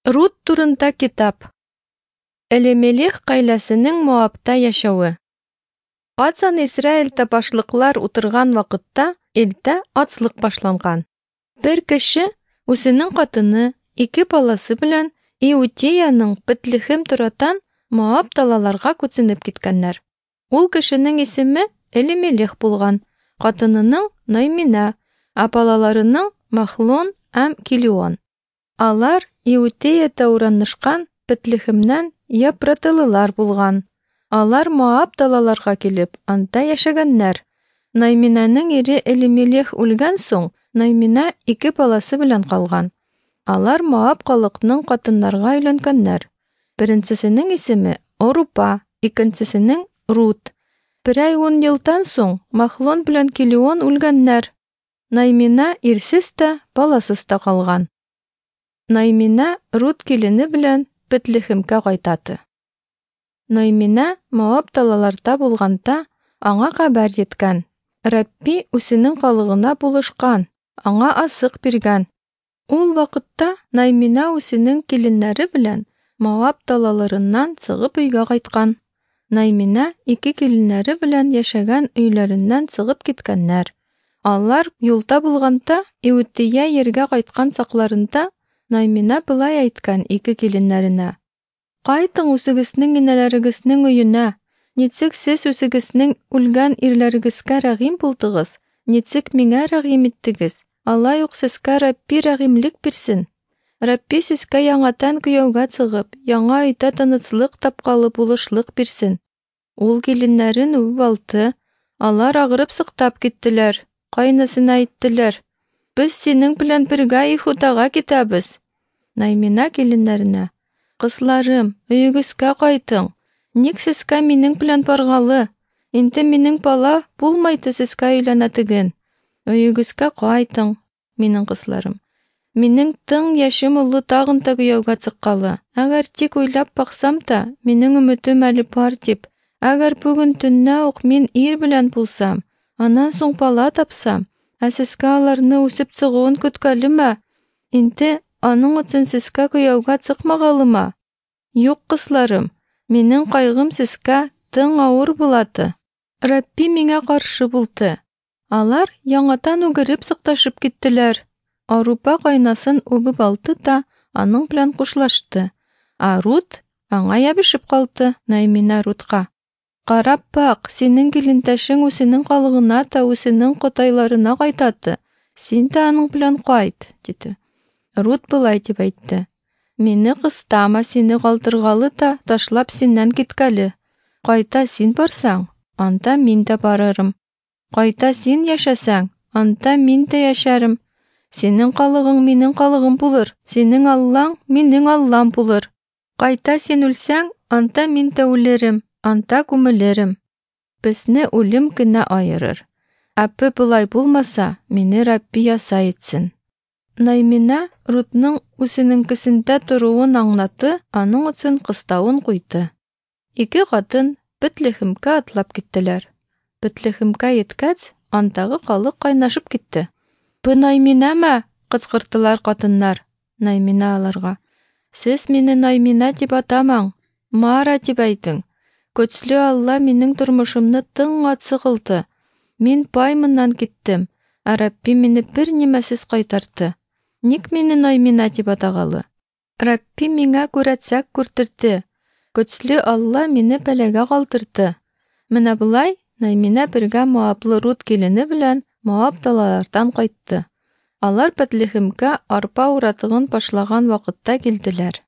Рут турында китап. Элемелех гаиләсенең Моабта яшәве. Кацан Израильдә башлыклар утырган вакытта илдә ачлык башланган. Бер кеше үзенең хатыны, ике баласы белән Иудеяның Бетлехем торатан Моаб далаларга күченеп киткәннәр. Ул кешенең исеме Элемелех булган, хатынының Наймина, ә балаларының Махлон һәм Килион. Алар Иудеядә уранышкан Бетлехемнән епраталылар булган. Алар Моаб далаларга килеп, анда яшәгәннәр. Найминаның ире Элимелех үлгән соң, Наймина ике баласы белән калган. Алар Моаб халыкның хатыннарга өйләнгәннәр. Беренчесенең исеме Орупа, икенчесенең Рут. Берәй ун елдан соң Махлон белән Килион үлгәннәр. Наймина ирсез тә, баласыз та калган. Наймина Рут килене белән Бетлехемгә кайтаты. Наймина Моаб далаларда булганда, аңа хәбәр җиткән. Рабби үзенең халыгына булышкан, аңа азык биргән. Ул вакытта Наймина үзенең киленнәре белән Моаб далаларыннан чыгып өйгә кайткан. Наймина ике киленнәре белән яшәгән өйләреннән чыгып киткәннәр. Алар юлда булганда, Иудея ергә кайткан чакларында Наймина былай әйткән ике киленнәренә: Кайтың үзегезнең инәләрегезнең өенә. Ничек сез үзегезнең үлгән ирләрегезгә рәхим булдыгыз, ничек миңа рәхим иттегез, алай ук сезгә Рабби рәхимлек бирсен. Рабби сезгә яңадан кияүгә чыгып, яңа өйдә тынычлык тапкалы булышлык бирсен. Ул киленнәрен үбеп алды. Алар агырып сыктап киттеләр. Кайнасына әйттеләр: Без синең белән бергә Ихудага китәбез. Наймина киленнәренә: Кызларым, өегезгә кайтың. Ник сезгә минең белән баргалы? Инде минең бала булмайды сезгә өйләнә теген. Өегезгә кайтың, минең кызларым. Минең тың яшем олы тагын та кияүгә чыккалы. Әгәр тик уйлап баксам та, минең өметем әле бар дип. Әгәр бүген төннә ук мин ир белән булсам, аннан соң бала тапсам, ә сезгә аларны үсеп чыгуын көткәлеме? Инде аның өчен сезгә кияүгә чыкмагалыма? Юк, кызларым, минең кайгым сезгә тың авыр булады. Рабби миңа каршы булды. Алар яңадан үгереп сыкташып киттеләр. Арупа кайнасын үбеп алды да аның белән кушлашты. Ә Рут аңа ябышып калды. Наймина Рутка: Карап бак, синең килендәшең үзенең халыгына та үзенең котайларына кайтаты. Син дә аның белән кайт, диде. Рут былай дип әйтте: Мине кыстама, сине калдыргалы да ташлап синнән киткәле. Кайта син барсаң, анда мин дә барырым. Кайта син яшәсәң, анда мин дә яшәрем. Синең халыгың минең халыгым булыр, синең Аллаң минең Аллам булыр. Кайта син үлсәң, анда мин дә үлерем, анда күмелерем. Безне үлем генә аерыр. Әпе болай булмаса, мине Рабби яса итсен. Наймина Рутның үзенеңкесендә торуын аңлатты, аның өчен кыставын куйды. Ике хатын Бетлехемгә атлап киттеләр. Бетлехемгә еткәч, андагы халык кайнашып китте. Бу Найминамы? кычкырттылар хатыннар. Наймина аларга: Сез мине Наймина дип атамаң, Мара дип әйтең. Көчле Алла минең тормышымны тың ачы кылды. Мин баймыннан киттем, ә Рабби мине бер нимәсез кайтарды. Ник мине Наймина дип атагалы? Рабби миңа күрәтсәк күртерде. Көчле Алла мине бәлагә калдырды. Менә болай Наймина бергә Моаблы Рут килене белән Моаб далалардан кайтты. Алар Бетлехемгә арпа уратыгын башлаган вакытта килделәр.